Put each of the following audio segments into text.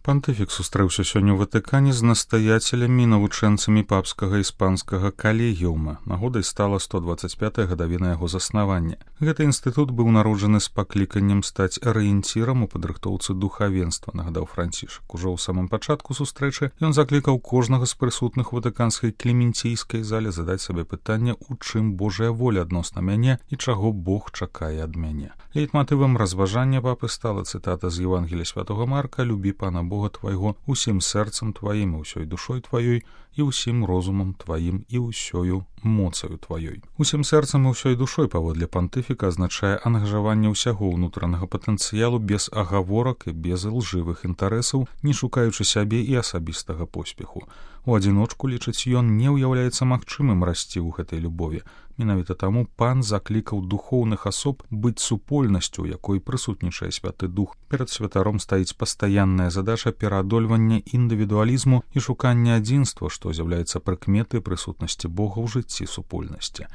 Пантыфік сустрэўся сёння ў Ватыкане з настаяцелямі і навучэнцамі папскага іспанскага калегіума. Нагодай стала 125-я гадавіна яго заснавання. Гэты інстытут быў народжаны з пакліканнем стаць арыенцірам у падрыхтоўцы духавенства, нагадаў Францішак. Ужо ў самым пачатку сустрэчы ён заклікаў кожнага з прысутных у ватыканскай клементійскай зале задаць сабе пытанне, у чым Божая воля адносна мяне і чаго Бог чакае ад мяне. Лейтматывам разважання папы стала цытата з Евангелія святого Марка: «Любі Пана Бога твайго усім сэрцам тваім і ўсёй душой тваёй і ўсім розумам тваім і ўсёю моцаю тваёй». Усім сэрцам і ўсёй душой паводле пантыфіка азначае ангажаванне ўсяго ўнутранага патэнцыялу без агаворак і без ілжывых інтарэсаў, не шукаючы сябе і асабістага поспеху. У адзіночку, лічыць ён, не ўяўляецца магчымым расці ў гэтай любові. Менавіта таму пан заклікаў духоўных асоб быць супольнасцю, у якой прысутнічае святы дух. Перад святаром стаіць пастаянная задача пераадольвання індывідуалізму і шукання адзінства, што з'яўляецца прыкметай прысутнасці Бога ў жыцці супольнасці.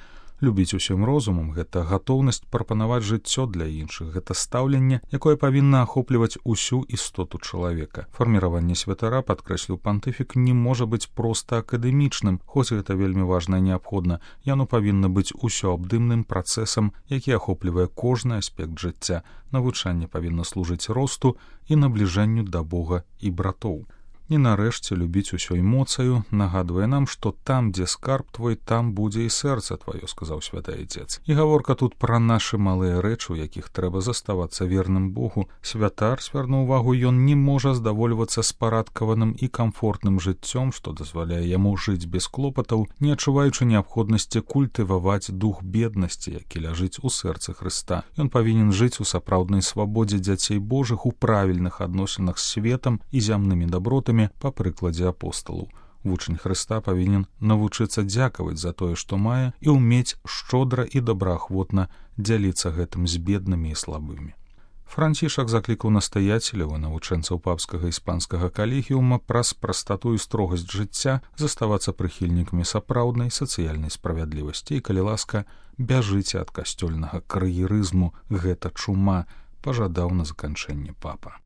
Любіць усім розумам — гэта гатоўнасць прапанаваць жыццё для іншых, гэта стаўленне, якое павінна ахопліваць усю істоту чалавека. Фарміраванне святара, падкрэсліў пантыфік, не можа быць проста акадэмічным, хоць гэта вельмі важна і неабходна. Яно павінна быць усёабдымным працэсам, які ахоплівае кожны аспект жыцця. Навучанне павінна служыць росту і набліжэнню да Бога і братоў. І нарэшце любіць усёй моцаю нагадвае нам, што там, дзе скарб твой, там будзе і сэрца тваё, сказаў святы Айцец. І гаворка тут пра нашы малыя рэчы, у якіх трэба заставацца верным Богу. Святар, звярнуў увагу, ён не можа здавольвацца спарадкаваным і камфортным жыццём, што дазваляе яму жыць без клопатаў, не адчуваючы неабходнасці культываваць дух беднасці, які ляжыць у сэрцы Хрыста. Ён павінен жыць у сапраўднай свабодзе дзяцей Божых, у правільных адносінах з светам і зямнымі дабротамі, па прыкладзе апосталаў. Вучань Хрыста павінен навучыцца дзякаваць за тое, што мае, і ўмець шчодра і добраахвотна дзяліцца гэтым з беднымі і слабымі. Францішак заклікаў настаяцеляў і навучэнцаў папскага іспанскага калегіума праз прастату і строгасць жыцця заставацца прыхільнікамі сапраўднай сацыяльнай справядлівасці і, калі ласка, бяжыце ад касцёльнага кар'ерызму, гэта чума, пажадаў на заканчэнне папа.